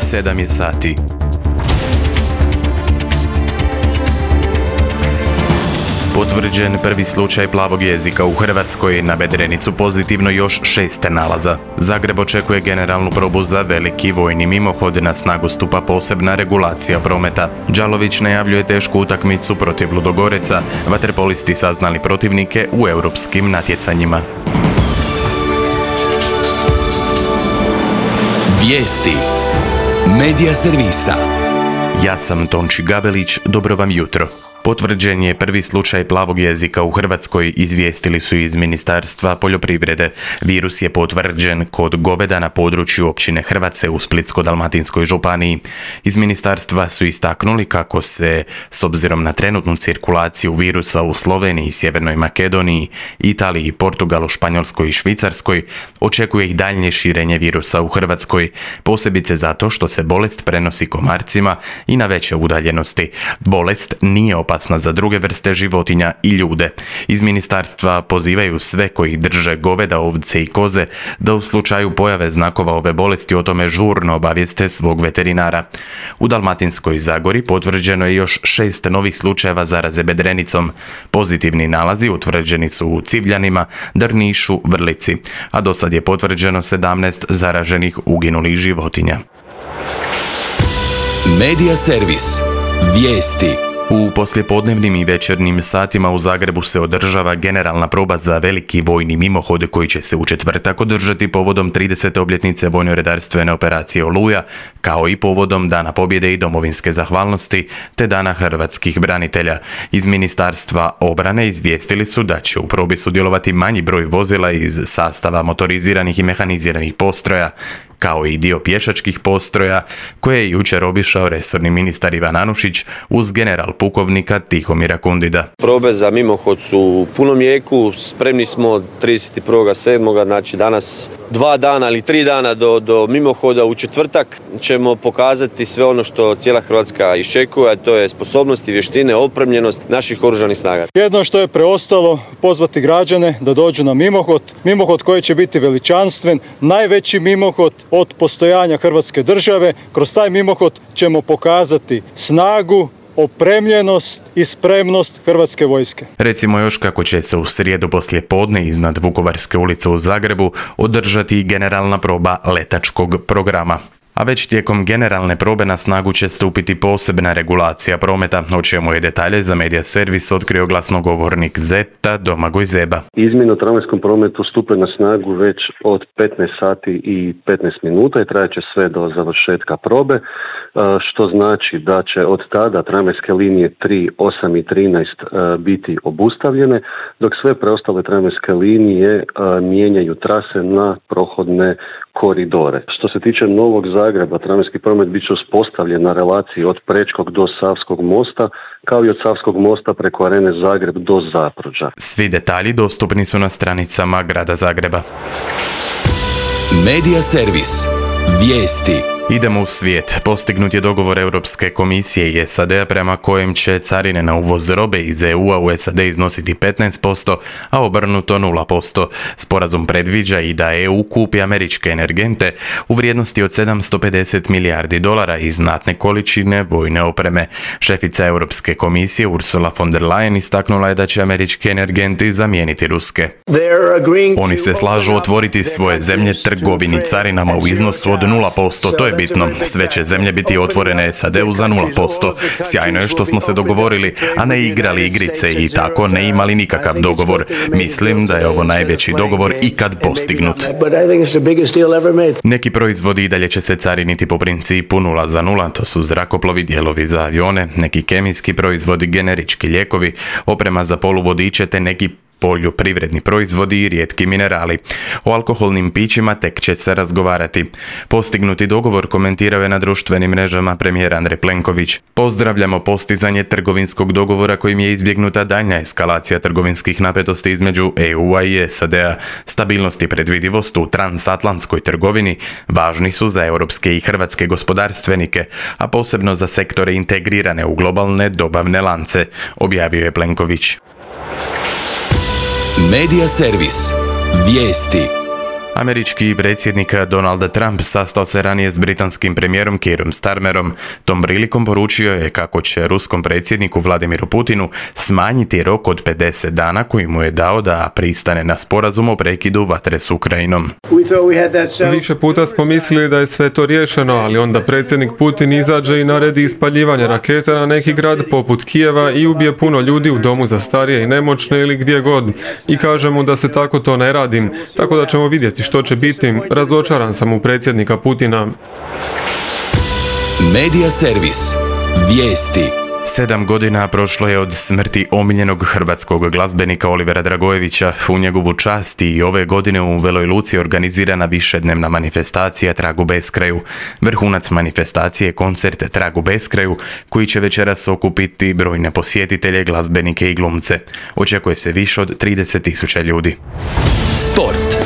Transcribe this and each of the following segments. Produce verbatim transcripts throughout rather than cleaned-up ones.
sedam je sati. Potvrđen prvi slučaj plavog jezika u Hrvatskoj, na Bedrenicu pozitivno još šest nalaza. Zagreb očekuje generalnu probu za veliki vojni mimohod, na snagu stupa posebna regulacija prometa. Đalović najavljuje tešku utakmicu protiv Ludogoreca, vaterpolisti saznali protivnike u europskim natjecanjima. Vijesti Medija servisa. Ja sam Tonči Gabelić, dobro vam jutro. Potvrđen je prvi slučaj plavog jezika u Hrvatskoj, izvijestili su iz Ministarstva poljoprivrede. Virus je potvrđen kod goveda na području općine Hrvace u Splitsko-dalmatinskoj županiji. Iz ministarstva su istaknuli kako se, s obzirom na trenutnu cirkulaciju virusa u Sloveniji, Sjevernoj Makedoniji, Italiji, Portugalu, Španjolskoj i Švicarskoj, očekuje i daljnje širenje virusa u Hrvatskoj, posebice zato što se bolest prenosi komarcima i na veće udaljenosti. Bolest nije opasna za druge vrste životinja i ljude. Iz ministarstva pozivaju sve koji drže goveda, ovce i koze da u slučaju pojave znakova ove bolesti o tome žurno obavijeste svog veterinara. U Dalmatinskoj Zagori potvrđeno je još šest novih slučajeva zaraze bedrenicom. Pozitivni nalazi utvrđeni su u Civljanima, Drnišu, Vrlici, a do sad je potvrđeno sedamnaest zaraženih uginulih životinja. Medija servis. Vijesti. U poslijepodnevnim i večernjim satima u Zagrebu se održava generalna proba za veliki vojni mimohod koji će se u četvrtak održati povodom tridesete obljetnice vojno-redarstvene operacije Oluja, kao i povodom Dana pobjede i domovinske zahvalnosti te Dana hrvatskih branitelja. Iz Ministarstva obrane izvijestili su da će u probi sudjelovati manji broj vozila iz sastava motoriziranih i mehaniziranih postroja, kao i dio pješačkih postroja koje je jučer obišao resorni ministar Ivan Anušić uz general pukovnika Tihomira Kundida. Probe za mimohod su u punom jeku, spremni smo trideset prvog sedmog znači danas dva dana ili tri dana do, do mimohoda. U četvrtak ćemo pokazati sve ono što cijela Hrvatska iščekuje, a to je sposobnost i vještine, opremljenost naših oružanih snaga. Jedno što je preostalo, pozvati građane da dođu na mimohod, mimohod koji će biti veličanstven, najveći mimohod od postojanja Hrvatske države. Kroz taj mimohod ćemo pokazati snagu, opremljenost i spremnost Hrvatske vojske. Recimo još kako će se u srijedu poslije podne iznad Vukovarske ulice u Zagrebu održati generalna proba letačkog programa. A već tijekom generalne probe na snagu će stupiti posebna regulacija prometa, o čemu je detalje za Medija servis otkrio glasnogovornik Zeta Domagoj Zeba. Izmjene u tramvajskom prometu stupe na snagu već od petnaest sati i petnaest minuta i trajaće sve do završetka probe, što znači da će od tada tramvajske linije tri, osam i trinaest biti obustavljene, dok sve preostale tramvajske linije mijenjaju trase na prohodne koridore. Što se tiče Novog Zagreba, tramvajski promet bit će uspostavljen na relaciji od Prečkog do Savskog mosta, kao i od Savskog mosta preko Arene Zagreb do Zapruđa. Svi detalji dostupni su na stranicama Grada Zagreba. Medija servis. Vijesti. Idemo u svijet. Postignut je dogovor Europske komisije i S A D-a prema kojem će carine na uvoz robe iz E U-a u S A D iznositi petnaest posto, a obrnuto nula posto. Sporazum predviđa i da E U kupi američke energente u vrijednosti od sedamsto pedeset milijardi dolara i znatne količine vojne opreme. Šefica Europske komisije Ursula von der Leyen istaknula je da će američki energenti zamijeniti ruske. Oni se slažu otvoriti svoje zemlje trgovini carinama u iznosu od nula posto. To je bitno. Sve će zemlje biti otvorene S A D-u za nula posto. Sjajno je što smo se dogovorili, a ne igrali igrice i tako ne imali nikakav dogovor. Mislim da je ovo najveći dogovor ikad postignut. Neki proizvodi i dalje će se cariniti po principu nula za nula, to su zrakoplovi, dijelovi za avione, neki kemijski proizvodi, generički lijekovi, oprema za poluvodiče te neki poljoprivredni proizvodi i rijetki minerali. O alkoholnim pićima tek će se razgovarati. Postignuti dogovor komentirao je na društvenim mrežama premijer Andrej Plenković. Pozdravljamo postizanje trgovinskog dogovora kojim je izbjegnuta daljnja eskalacija trgovinskih napetosti između E U-a i S A D-a. Stabilnost i predvidivost u transatlantskoj trgovini važni su za europske i hrvatske gospodarstvenike, a posebno za sektore integrirane u globalne dobavne lance, objavio je Plenković. Medija servis. Vijesti. Američki predsjednik Donald Trump sastao se ranije s britanskim premijerom Keirom Starmerom. Tom prilikom poručio je kako će ruskom predsjedniku Vladimiru Putinu smanjiti rok od pedeset dana koji mu je dao da pristane na sporazum o prekidu vatre s Ukrajinom. Više puta smo mislili da je sve to riješeno, ali onda predsjednik Putin izađe i naredi ispaljivanje raketa na neki grad poput Kijeva i ubije puno ljudi u domu za starije i nemoćne ili gdje god. I kaže mu da se tako to ne radi, tako da ćemo vidjeti što će biti. Razočaran sam u predsjednika Putina. Medija servis. Vijesti. Sedam godina prošlo je od smrti omiljenog hrvatskog glazbenika Olivera Dragojevića. U njegovu čast i ove godine u Veloj Luci je organizirana višednevna manifestacija Trag u beskraju. Vrhunac manifestacije je koncert Trag u beskraju, koji će večeras okupiti brojne posjetitelje, glazbenike i glumce. Očekuje se više od trideset tisuća ljudi. Sport.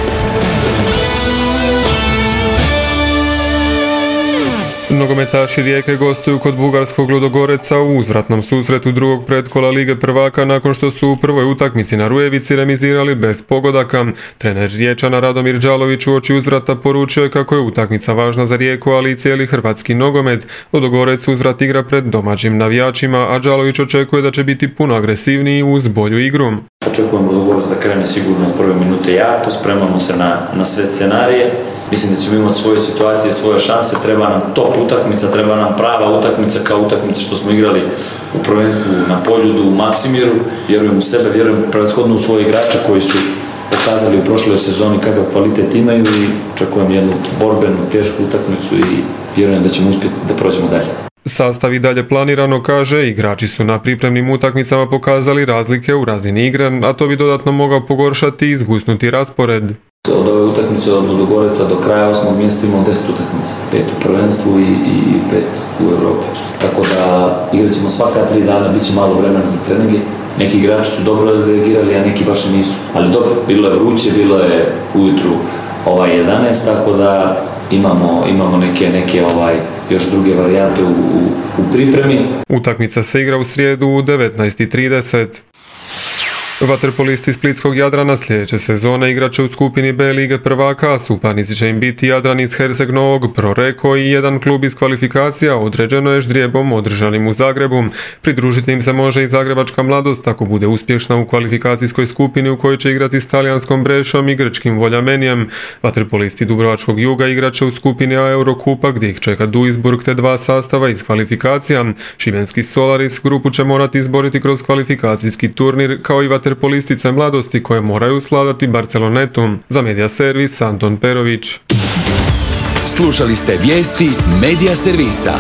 Nogometaši Rijeke gostuju kod bugarskog Ludogoreca u uzvratnom susretu drugog pretkola Lige prvaka nakon što su u prvoj utakmici na Rujevici remizirali bez pogodaka. Trener Riječana Radomir Đalović uoči uzvrata poručio je kako je utakmica važna za Rijeku, ali i cijeli hrvatski nogomet. Ludogorec uzvrat igra pred domaćim navijačima, a Đalović očekuje da će biti puno agresivniji uz bolju igru. Očekujem Ludogorec da krene sigurno od prve minute jako, spremamo se na, na sve scenarije. Mislim da ćemo imati svoje situacije, svoje šanse, treba nam top utakmica, treba nam prava utakmica kao utakmica što smo igrali u prvenstvu na Poljudu, u Maksimiru. Vjerujem u sebe, vjerujem prevashodno u svoje igrače koji su pokazali u prošloj sezoni kakav kvalitet imaju i očekujem jednu borbenu, tešku utakmicu i vjerujem da ćemo uspjeti da prođemo dalje. Sastav i dalje planirano, kaže, igrači su na pripremnim utakmicama pokazali razlike u razini igre, a to bi dodatno mogao pogoršati i izgusnuti raspored. Od ove utakmice od Ludogoreca do kraja osmog mjeseca imamo deset utakmica, pet u prvenstvu i, i pet u Europi. Tako da igrat ćemo svaka tri dana, bit će malo vremena za treninge. Neki igrači su dobro reagirali, a neki baš i nisu. Ali dobro, bilo je vruće, bilo je ujutru ovaj jedanaest, tako da imamo, imamo neke, neke ovaj, još druge varijante u, u, u pripremi. Utakmica se igra u srijedu u devetnaest i trideset. Vaterpolisti splitskog Jadrana sljedeće sezone igraće u skupini B Lige prvaka, a suparnici će im biti Jadran iz Herceg Novog, Proreko i jedan klub iz kvalifikacija, određeno je ždrijebom održanim u Zagrebu. Pridružiti im se može i Zagrebačka Mladost, ako bude uspješna u kvalifikacijskoj skupini u kojoj će igrati s talijanskom Brešom i grčkim Voljamenijem. Vaterpolisti Dubrovačkog Juga igraće u skupini A Eurokupa, gdje ih čeka Duisburg te dva sastava iz kvalifikacija. Šibenski Solaris grupu će morati izboriti kroz kvalifikacijski turnir, kao i vaterpolistice Mladosti koje moraju sladati Barcelonetu. Za Medija servis Anton Perović. Slušali ste vijesti Medija servisa.